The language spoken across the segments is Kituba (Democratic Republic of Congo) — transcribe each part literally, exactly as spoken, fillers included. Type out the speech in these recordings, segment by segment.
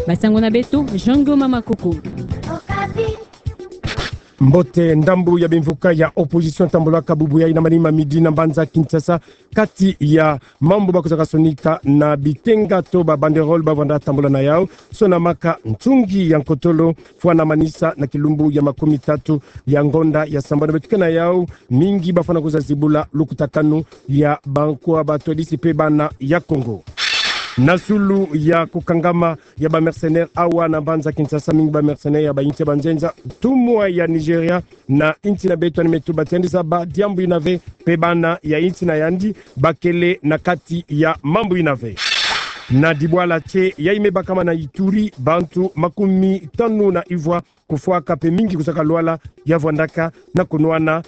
Basango na beto, Jean Goma Makoko. Mbote. Ndambu ya bimvuka ya opposition tambolaka bubu yayi na manima midi na mbanza Kinshasa, kati ya mambu bakozaka sonika na bitenga to ba banderole bavanda tambola na yau, sonamaka ntungi ya nkotolo fwana manisa na kilumbu ya makumi tatu ya ngonda ya sambanu. Beto ke na yau, mingi bafwana kuza zibula lukutakanu ya bankwa batwadisi pe bana ya Kongo. Na zulu ya kukangama ya ba mercenaires awa na mbanza Kinshasa, mingi ba mercenaires ya ba insi ya banzenza, ntumwa ya Nigeria na insi na beto, yandi me tuba ti yandi zaba diambu ina ve, pe bana ya insi na yandi bakele na kati ya mambu ina ve. Na dibwala tie yayi me bakama na Ituri, bantu makumi tanu na ivwa kufwaka pe mingi kuzaka lwala, ya vwandaka na kunwana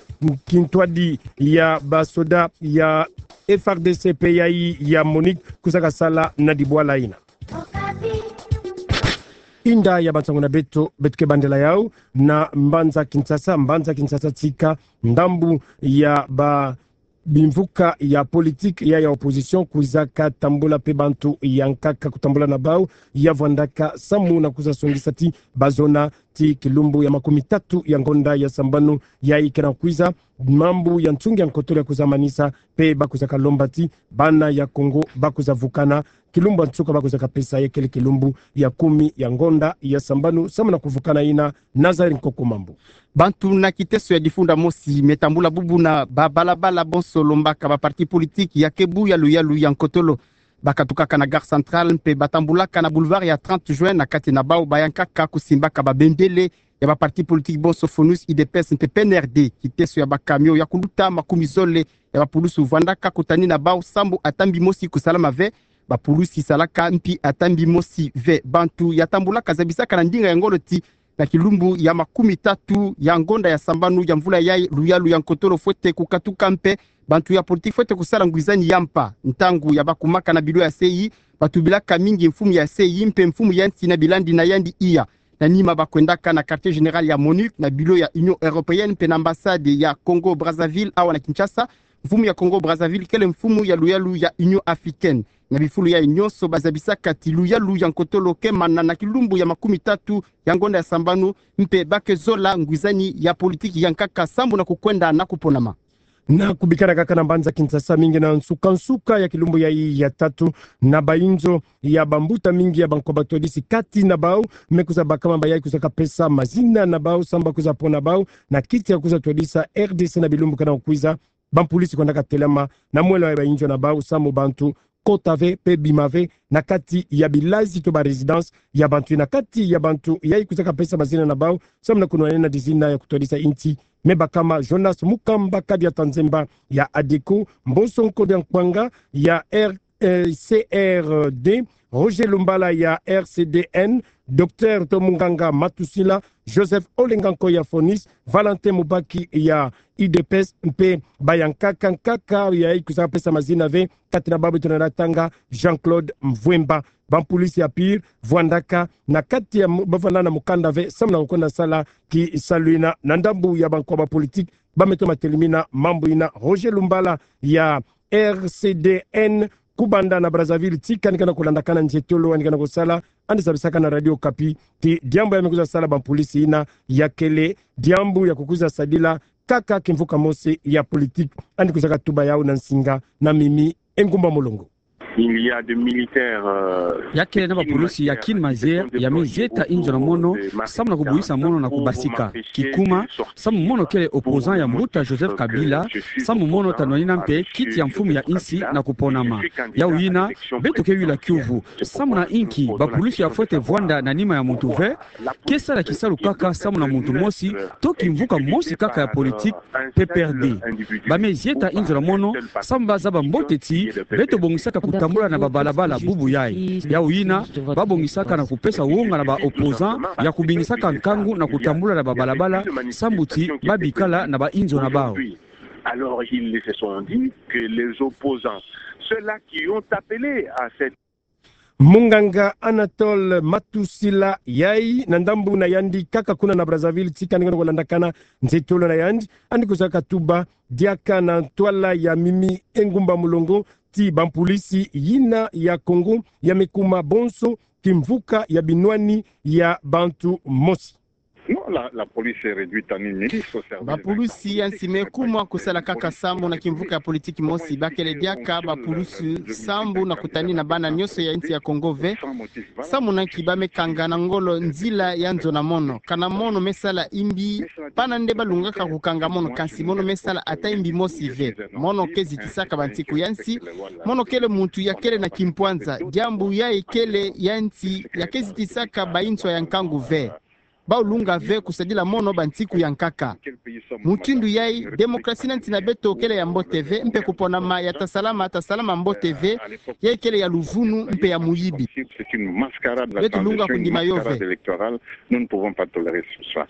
kintwadi ya basoda ya F R D C pe yayi ya MONUC kuzaka sala na dibwala ina. Inda ya bansango na beto, beto ke bandela yau na mbanza Kinshasa. Mbanza Kinshasa tika, ndambu ya ba bimvuka ya politique ya, ya opposition kwizaka tambula pe bantu ya nkaka kutambola na bau, ya vwandaka samu na kuza songisa ti bazona ti kilumbu ya makumi tatu ya ngonda ya sambanu yayi ke na kwiza, mambu ya ntungi ya nkotolo ya kuza manisa, pe bakwizaka lomba ti bana ya Kongo bakuza vukana, kilumbu ya nsuka bakwizaka pesa ya kele kilumbu ya kumi ya ngonda ya sambanu, samu na kuvukana ina. Nazaire Nkoko Mambu. Bantu na kiteso ya difunda mosi me tambula bubu na babalabala bonso, lombaka ba partis politiques ya ke buya luyalu ya nkotolo. Bakatukaka na gare centrale mpe batambulaka na boulevard ya trente juin, na kati na bau ba ya nkaka kusimbaka ba bendele ya ba partis politiques bonso, FONUS, UDPS mpe P N R D. Kiteso ya ba camions ya kuluta makumi zole ya ba pulusu vwandaka kutani na bau sambu ata mbi mosi kusalama ve. Ba pulusi salaka mpi ata mbi mosi ve. Bantu ya tambulaka zabisaka na ndinga ya ngolo ti na kilumbu ya makumi tatu ya ngonda ya sambanu ya mvula yayi, luyalu ya nkotolo fwete kukatuka mpe bantu ya politiki fwete kusala ngwizani ya mpa. Ntangu ya bakumaka na bilo ya C I, batubilaka mingi mfumu ya C I mpe mfumu ya nsi na bilandi na yandi iya. Na nima bakwendaka na quartier général ya MONUC, na bilo ya Union Européenne mpe na ambassade ya Congo Brazzaville awa na Kinshasa. Mfumu ya Congo Brazzaville kele mfumu ya luyalu ya Union Africaine. Na bifulu yayi nyonso bazabisaka ti luyalu ya nkotolo ke mana na kilumbu ya makumi tatu ya ngonda ya sambanu, mpe ba ke zola ngwizani ya politiki ya nkaka sambu na kukwenda na kuponama. Na kubikana kaka na mbanza Kinshasa, mingi na nsuka-nsuka ya kilumbu yayi ya tatu, na bayinzo ya bambuta mingi ya bankwa batwadisi, kati na bau me kwiza bakama bayayi kwizaka pesa mazina na bau sambu kwiza pona bau na kiti ya kwiza twadisa R D C na bilumbu ke na kukwiza. Bampulisi kwendaka telama na mwela ya bayinzo na bau sambu bantu kota ve mpe bima ve na kati ya bilazi to ba résidence ya bantu. Na kati ya bantu yayi kwizaka pesa mazina na bau sambu na kunwanina dizina ya kutwadisa insi, me bakama Jonas Mukamba, kadi ya tanzemba ya ADECO, Mboso Nkodia Nkwanga ya R C R D, Roger Lumbala ya R C D N, Docteur to munganga Matusila, Joseph Olenga Nkoy ya FONUS, Valentin Mubaki ya U D P S, mpe ba ya nkaka nkaka yayi kwizaka pesa mazina ve, kati na bau beto na tanga Jean-Claude Mvwemba. Bampulisi ya pire vwandaka na kati ya mu-, bavwanda na mukanda ve sambu na kukwenda sala kisalu ina. Na ndambu ya bankwa bapolitiki ba me toma telimina mambu ina, Roger Lumbala ya R C D N, kubanda na Brazzaville tika yandi ke na kulandakana nzietolo yandi ke na kusala, yandi zabisaka na Radio Okapi ti diambu ya me kwiza sala bampulisi ina ya kele diambu ya kukwiza sadila kaka kimvuka mosi ya politiki. Yandi kwizaka tuba yau na nsinga na Mimi Engumba Molongo. Il y a des militaires, euh, ya kele na bapulusi ya kin mazier ya me zieta inzo na mono sambu na kubuhisa mono na kubasika. Kikuma, sambu mono kele opposant ya mbuta Joseph Kabila, sambu mono ta nwanina mpe kiti ya mfumu ya insi na kuponama. Yau ina, beto ke yula kiuvu. Sambu na inki bapulusi ya fwete vwanda na nima ya muntu ve, ke sala kisalu kaka sambu na muntu mosi, to kimvuka mosi kaka ya politiki, P P R D. Ba me zieta inzo na mono sambu ba zaba mbote ti beto bongisaka kutambula na babalabala bubu yayi. Yau ina, ba bongisaka na kupesa wonga na ba opposants ya kubingisaka nkangu na kutambula na babalabala sambu ti ba bikala na bainzo na bau. Alors, ils se sont dit que les opposants, ceux-là qui ont appelé à cette Munganga Anatole Matusila, yayi na ndambu na yandi kaka kuna na Brazzaville, tika ni kono kolandakana nzetolo na yandi, yandi kusaka tuba diaka na ntwala ya mimi engumba mulongo ti bampolisi yina ya Congo ya me kuma bonso kimvuka ya binwani ya bantu mosi. Non, la, la police est réduite en une milice au service de... Bapulusi ya nsi me kumwa kusala kaka sambu na kimvuka ya politiki mosi, bakele diaka bapulusi sambu na kutani na bana nyonso ya nsi ya Congo ve. Sambu na nki ba me kanga na ngolo nzila ya nzo na mono? Kana mono me sala imbi, pana nde ba lungaka kukanga mono, kansi mono me sala ata imbi mosi ve. Mono ke zitisaka bantiku ya nsi, mono kele muntu ya kele na kimpwanza, diambu yayi kele ya nsi ya ke zitisaka bayinswa ya nkangu ve. Ba lunga ve kusadila mono bantiku ya nkaka. Mutindu yayi, demokrasi na nsi na beto kele ya mbote ve, mpe kuponama ya ta salama, ta salama mbote ve, yayi kele ya luvunu mpe ya muyibi. Beto lunga kundima yo ve. Nous ne pouvons pas tolérer ce soir.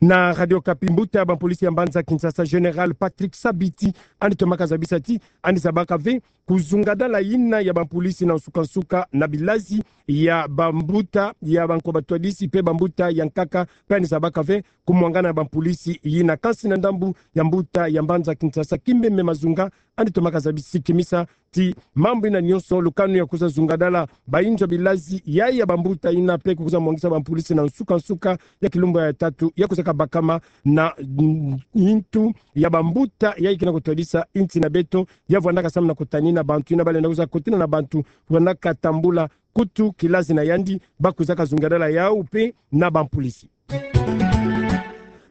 Na Radio Okapi, mbuta ya bampolisi ya mbanza Kinshasa, Général Patrick Sabiti, yandi tomaka zabisa ti yandi zabaka ve kuzungadala yina ya bampolisi na nsuka-nsuka na bilazi ya bambuta ya banko batwadisi mpe bambuta ya nkaka, mpe yandi zabaka ve kumwangana ya bampolisi yina. Kansi na ndambu ya mbuta ya mbanza Kinshasa, Kimbembe Mazunga, yandi tomaka zabisi kimisa ti mambu yina nyonso, lukanu ya kuza zungadala bayinzo bilazi yayi ya bambuta yina mpe kuza mwangisa bampolisi na nsuka-nsuka ya kilumbu ya tatu ya kuzaka bakama na, mm, yintu ya bambuta yayi ke na kutwadisa yinsi na beto, ya vwandaka samu na kutani na bantu yina ba lenda kuza kotena na bantu, vwandaka tambula kutu kilazi na yandi, ba kuzaka zungadala yawu mpe na bampolisi.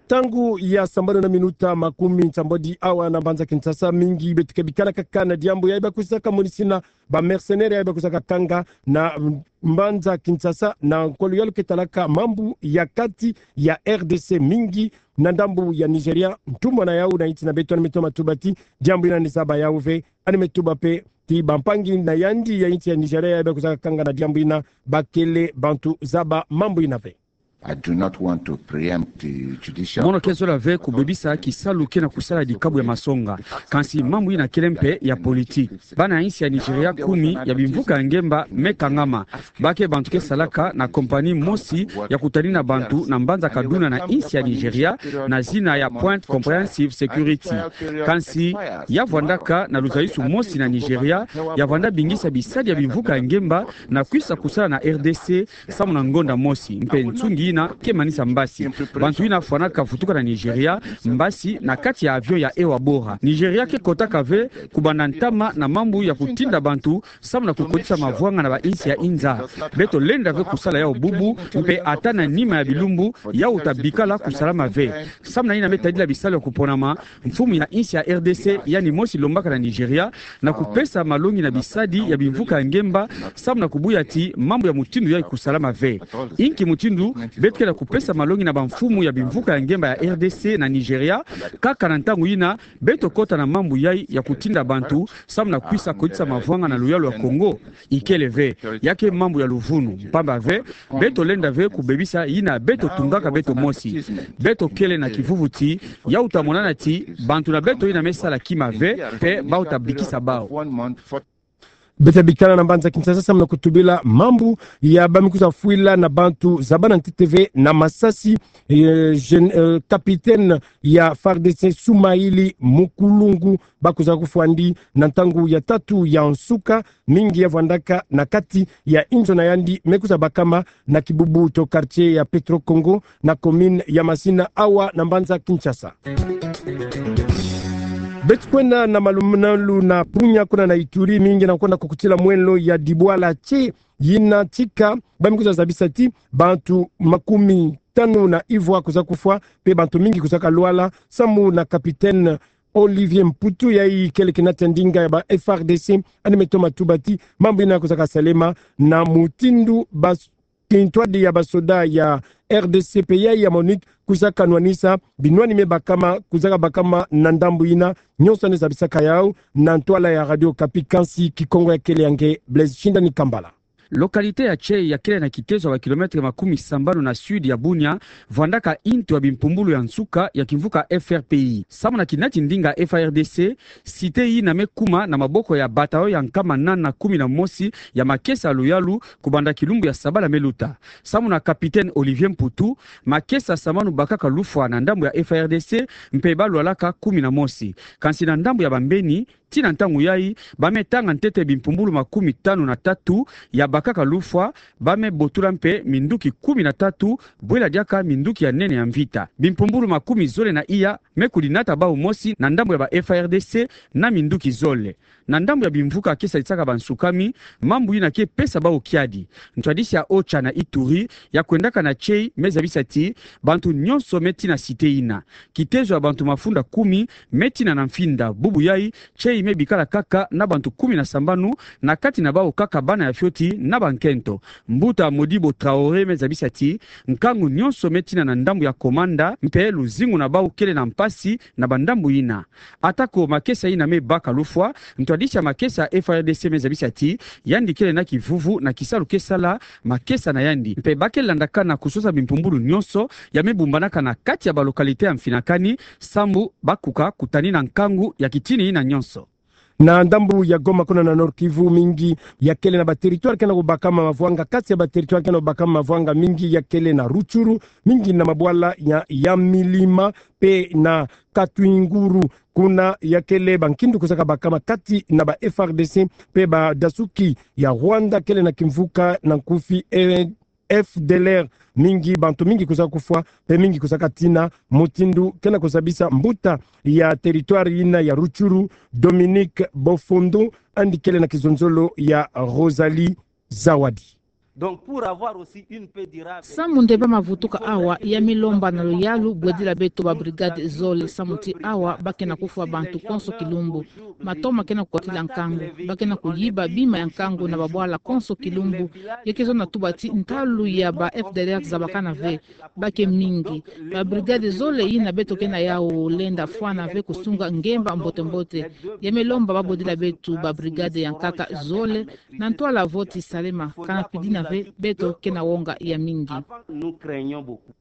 Ntangu ya sambanu na minuta makumi nsambwadi awa na mbanza Kinshasa, mingi beto ke bikana kaka na diambu yayi ba kuzaka monisina ba mercenaires yayi ba kuzaka kanga na mbanza Kinshasa na nkolo ya luketalaka mambu ya kati ya R D C, mingi na ndambu ya Nigeria. Ntumwa na yawu na yinsi na beto yandi me toma tuba ti diambu yina yandi zaba yawu ve. Yandi me tuba mpe ti bampangi na yandi ya yinsi ya Nigeria yayi ba kuzaka kanga na diambu yina, ba kele bantu zaba mambu yina ve. I do not want to preempt the judicial... Mono ke zola ve kubebisa kisalu ke na kusala dikabu ya masonga. Kansi mambu yina kele mpe ya politiki. Bana yinsi ya Nigeria kumi ya bimvuka ya ngemba me kangama. Ba ke bantu ke salaka na compagnie mosi ya kutani na bantu na mbanza Kaduna na yinsi ya Nigeria, na zina ya Point Comprehensive Security. Kansi ya vwandaka na luzayisu mosi na Nigeria, ya vwanda bingisa bisadi ya bimvuka ya ngemba na kwisa kusala na R D C samu na ngonda mosi, mpe nsungi yina ke manisa mbasi. Bantu yina fwanaka vutuka na Nigeria mbasi na kati ya avion ya Air Bora. Nigeria ke kotaka ve kubanda ntama na mambu ya kutinda bantu samu na kukotisa mavwanga na bayinsi ya inza. Beto lenda ve kusala yawu bubu, mpe ata na nima ya bilumbu yawu ta bikala kusalama ve. Samu na yina me tadila bisalu ya kuponama, mfumu ya yinsi ya R D C yandi mosi lombaka na Nigeria na kupesa malongi na bisadi ya bimvuka ya ngemba samu na kubuya ti mambu ya mutindu yayi kusalama ve. Inki mutindu beto ke na kupesa malongi na bamfumu ya bimvuka ya ngemba ya R D C na Nigeria, kaka na ntangu yina beto kota na mambu yayi ya kutinda bantu samu na kwisa kotisa mavwanga na luyalu ya Congo? Ikele ve. Ya ke mambu ya luvunu, mpamba ve beto lenda ve kubebisa yina beto tungaka beto mosi. Beto kele na kivuvu ti yawu ta monana ti bantu na beto yina me sala kima ve, mpe bawu ta bikisa bawu. Beto bikana na mbanza Kinshasa samu na kutubila mambu ya ba me kuza fwila na bantu zabana ntete ve na masasi, eh, gen-, eh, capitaine ya FARDC Soumaïli Moukoulou, ba kuza kufwa yandi na ntangu ya tatu ya nsuka, mingi ya vwandaka na kati ya inzo na yandi me kuza bakama na kibubu to quartier ya Petro Congo na commune ya Masina awa na mbanza Kinshasa. Beto kwenda na malumalu na Punya kuna na Ituri, mingi na kwenda kukutila mwelo ya Dibwala ti yina tika ba me kuza zabisa ti bantu makumi tanu na ivwa kuza kufwa, mpe bantu mingi kuza kalwala, samu na capitaine Olivier Mputu, yayi kele kena tia ndinga ya ba FARDC, yandi me toma tuba ti mambu yina kuza kasalema na mutindu ba kintwadi ya basoda ya RDC mpe yayi ya MONUC kuza kanwanisa binwani me bakama, kuza kabakama na ndambu yina. Nyonso yandi zabisaka yawu na ntwala ya Radio Okapi, kansi Kikongo ya kele ya nge Blaise Shindani Kambala. Localité ya Tchei ya kele na kitezo ya ba kilomètre makumi sambanu na sud ya Bunia, vwandaka into ya bimpumbulu ya nsuka ya kimvuka F R P I. Samu na kinati ndinga F A R D C, cité yina me kuma na maboko ya bataillon ya nkama nana kumi na mosi ya makesa ya luyalu, kubanda kilumbu ya sabala me luta. Samu na capitaine Olivier Mputu, makesa sambanu bakaka lufwa na ndambu ya F A R D C, mpe balwalaka kumi na mosi. Kansi na ndambu ya bambeni, tii na ntangu yayi, ba me tanga ntete bimpumbulu makumi tanu na tatu ya bakaka lufwa, ba me botula mpe minduki kumi na tatu, bwela diaka minduki ya nene ya mvita. Bimpumbulu makumi zole na iya me kulinata bawu mosi na ndambu ya ba F A R D C na minduki zole. Na ndambu ya bimvuka ke sadisaka bansukami, mambu yina ke pesa bawu kiadi. Ntwadisi ya OCHA na Ituri, ya kwendaka na Tchei, me zabisa ti bantu nyonso me tina cité yina. Kitezo ya bantu mafunda kumi me tina na mfinda. Bubu yayi, Tchei me bikala kaka na bantu kumi na sambanu, na kati na bawu kaka bana ya fioti na bankento. Mbuta Modibo Traoré me zabisa ti nkangu nyonso me tina na ndambu ya Komanda, mpe luzingu na bawu kele na mpasi na bandambu yina. Atako makesa yina me baka lufwa, ntwadisi ya makesa ya F A R D C me zabisa ti yandi kele na kivuvu na kisalu ke sala makesa na yandi. Mpe ba ke landakana kusosa bimpumbulu nyonso ya me bumbanaka na kati ya ba localité ya mfinakani, samu ba kuka kutani na nkangu ya kitini yina nyonso. Na ndambu ya Goma, kuna na Nord-Kivu, mingi ya kele na ba territoire ke na kubakama mavwanga. Kati ya ba territoire ke na kubakama mavwanga, mingi ya kele na Rutshuru, mingi na mabwala ya, ya Milima, mpe na Katwinguru. Kuna ya kele bankindu kwiza kabakama kati na ba F A R D C mpe badasuki ya Rwanda kele na kimvuka na nkufi, eh, F D L R. Mingi, bantu mingi kwiza kufwa, mpe mingi kwiza katina, mutindu ke na kuzabisa mbuta ya territoire yina ya Rutshuru, Dominique Bofondo, yandi kele na kizonzolo ya Rosalie Zawadi. Donc, pour avoir aussi une paix durable. Samu nde ba mavutuka awa, ya me lomba na luyalu bwedila beto ba brigade zole, samu ti awa ba ke na kufwa bantu konso kilumbu. Matoma ke na kukotila nkangu, ba ke na kuyiba bima ya nkangu na babwala konso kilumbu. Ya ke zonza tuba ti ntalu ya ba F D L R zabakana ve, ba ke mingi. Ba brigade zole yina beto ke na yawu lenda fwana ve kusunga ngemba mbote mbote. Ya me lomba ba bwedila beto ba brigade ya nkaka zole, na ntwala vo ti salema, kana pidina ve, beto ke na wonga ya mingi. Nous craignons beaucoup.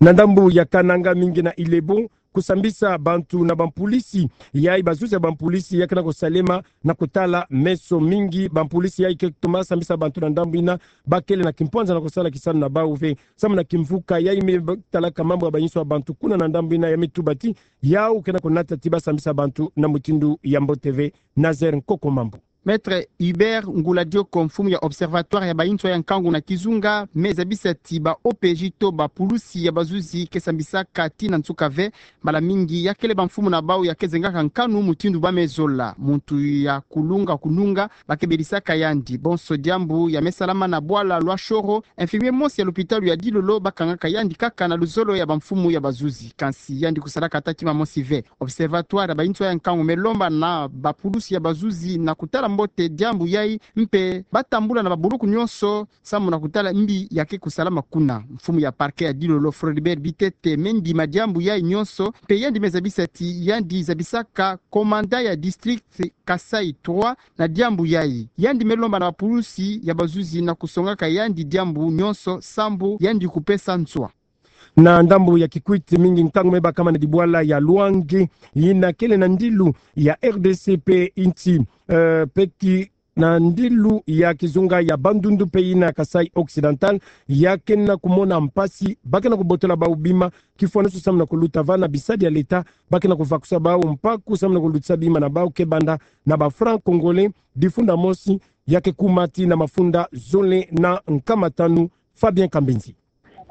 Na ndambu ya Kananga, mingi na Ilebo, kusambisa bantu na bampulisi, yayi bazuzi ya bampulisi ya ke na kusalema na kutala meso. Mingi bampulisi yayi ke toma sambisa bantu na ndambu yina, ba kele na kimpwanza na kusala kisalu na bawu ve. Samu na kimvuka yayi me talaka mambu ya bayinso ya bantu kuna na ndambu yina, ya me tuba ti yawu ke na kunata ti ba sambisa bantu na mutindu ya mbote ve. Nazaire Nkoko Mambu. Maître Hubert Ngula Dioko, mfumu ya Observatoire ya bayinso ya nkangu na kizunga, me zabisa ti ba O P J to bapulusi ya bazuzi ke sambisaka tii na nsuka ve. Mbala mingi ya kele bamfumu na bawu ya ke zengaka nkanu mutindu ba me zola. Muntu ya kulunga kununga, ba ke belisaka yandi. Bonso diambu ya me salama na bwala Loix-Shoro, infirmier mosi ya lopitalu ya Dilolo ba kangaka yandi kaka na luzolo ya bamfumu ya bazuzi. Kansi yandi kusalaka ata kima mosi ve. Observatoire ya bayinso ya nkangu me lomba na bapulusi ya bazuzi na kutala mbote diambu yayi, mpe ba tambula na babuluku nyonso samu na kutala mbi ya ke kusalama kuna. Mfumu ya parquet ya Dilolo, Floribert Bitete, me ndima diambu yayi nyonso, mpe yandi me zabisa ti yandi zabisaka commandant ya district Kasaï trois na diambu yayi. Yandi me lomba na bapulusi ya bazuzi na kusongaka yandi diambu nyonso sambu yandi kupesa nswa. Na ndambu ya Kikwit, mingi nkangu me bakama na dibwala ya Loange, yina kele na ndilu ya R D C mpe insi, eh, mpe ki-, na ndilu ya kizunga ya Bandundu mpe yina Kasaï Occidental, ya ke na kumona mpasi, ba ke na kubotola bawu bima, kifwaniso samu na kuluta va na bisadi ya leta, ba ke na kuvakusa bawu mpaku samu na kulutisa bima na bawu ke banda na ba francs congolais difunda mosi, ya ke kuma tii na mafunda zole na nkama tanu. Fabien Kambinzi.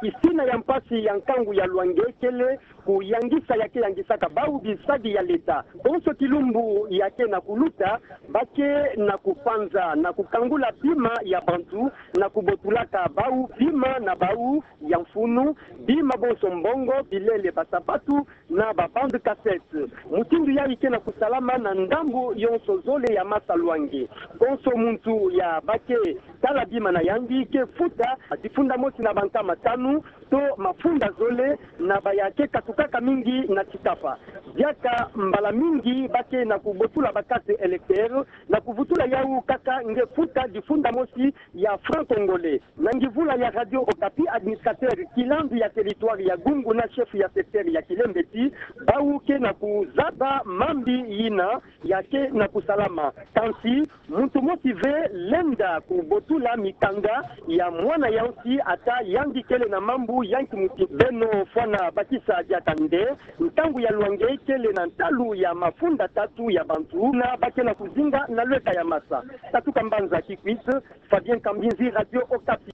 Piscine ya mpasi ya nkangu ya Loange kele kuyangisa ya ke yangisaka bawu bisadi ya leta. Bonso kilumbu ya ke na kuluta, ba ke na kupanza na kukangula bima ya bantu, na kubotulaka bawu bima na bawu ya mfunu, bima bonso mbongo, bilele, basapatu, na ba bande cassette. Mutindu yayi ke na kusalama na ndambu yonso zole ya masa Loange. Konso muntu ya ba ke tala bima na yandi ke futa difunda mosi na bankama tanu to mafunda zole na ba ya ke kasa Kaka mingi na Tikafa. Diaka mbala mingi ba ke na kubotula ba carte électeur, na kuvutula yawu kaka nge futa difunda mosi ya franc congolais. Na nguvula ya Radio Okapi, administrateur kilandu ya territoire ya Gungu na chef ya secteur ya Kilembeti, bawu ke na kuzaba mambi yina ya ke na kusalama. Kansi, muntu mosi ve lenda kubotula mikanda ya mwana yau nsi ata yandi kele na mambu ya nkimuti. Beno fwana bakisa diaka nde, ntangu ya lwanga kele na ntalu ya mafunda tatu ya bantu na ba ke na kuzinga na lweka ya masa. Tatu Kambanza Kikwit, Fabien Kambinzi, Radio Okapi.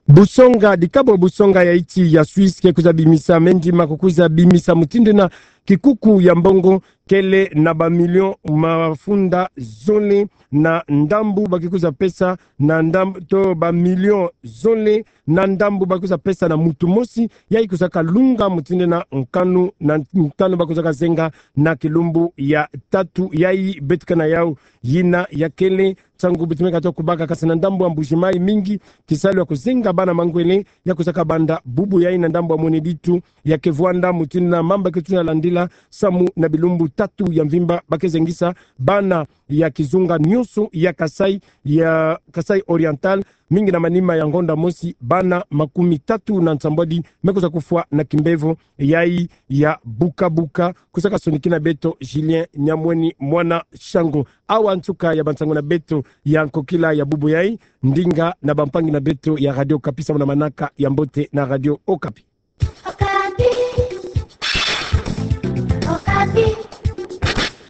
Busonga, dikabo busonga ya iti ya Suisse ke kwiza bimisa mendi ma kukwiza bimisa mutindu na kikuku ya mbongo kele na ba million mafunda zole na ndambu ba ke kwiza pesa na ndambu to ba million zole na ndambu ba ke kwiza pesa na muntu mosi, yayi kwizaka lunga mutindu na nkanu, na nkanu ba kwizaka zenga na kilumbu ya tatu. Yayi beto ke na yau, yina ya kele nsangu beto meka to kubaka, kasi na ndambu ya Mbuji-Mayi mingi kisalu ya kuzenga bana mangwele ya kwizaka banda bubu yayi na ndambu ya Mweneditu ya ke vwanda mutindu na mamba ke tuna landila samu na bilumbu tatu ya mvimba ba ke zengisa bana ya kizunga nyonso ya Kasaï, ya Kasaï Oriental, mingi na manima ya ngonda mosi, bana makumi tatu na nsambwadi me kwiza kufwa na kimbevo yayi ya buka-buka. Kwizaka sonikina beto Julien Nyamweni Mwana Shango. Awa nsuka ya bansangu na beto ya nkokila ya bubu yayi, ndinga na bampangi na beto ya Radio Okapi, samu na manaka ya mbote na Radio Okapi.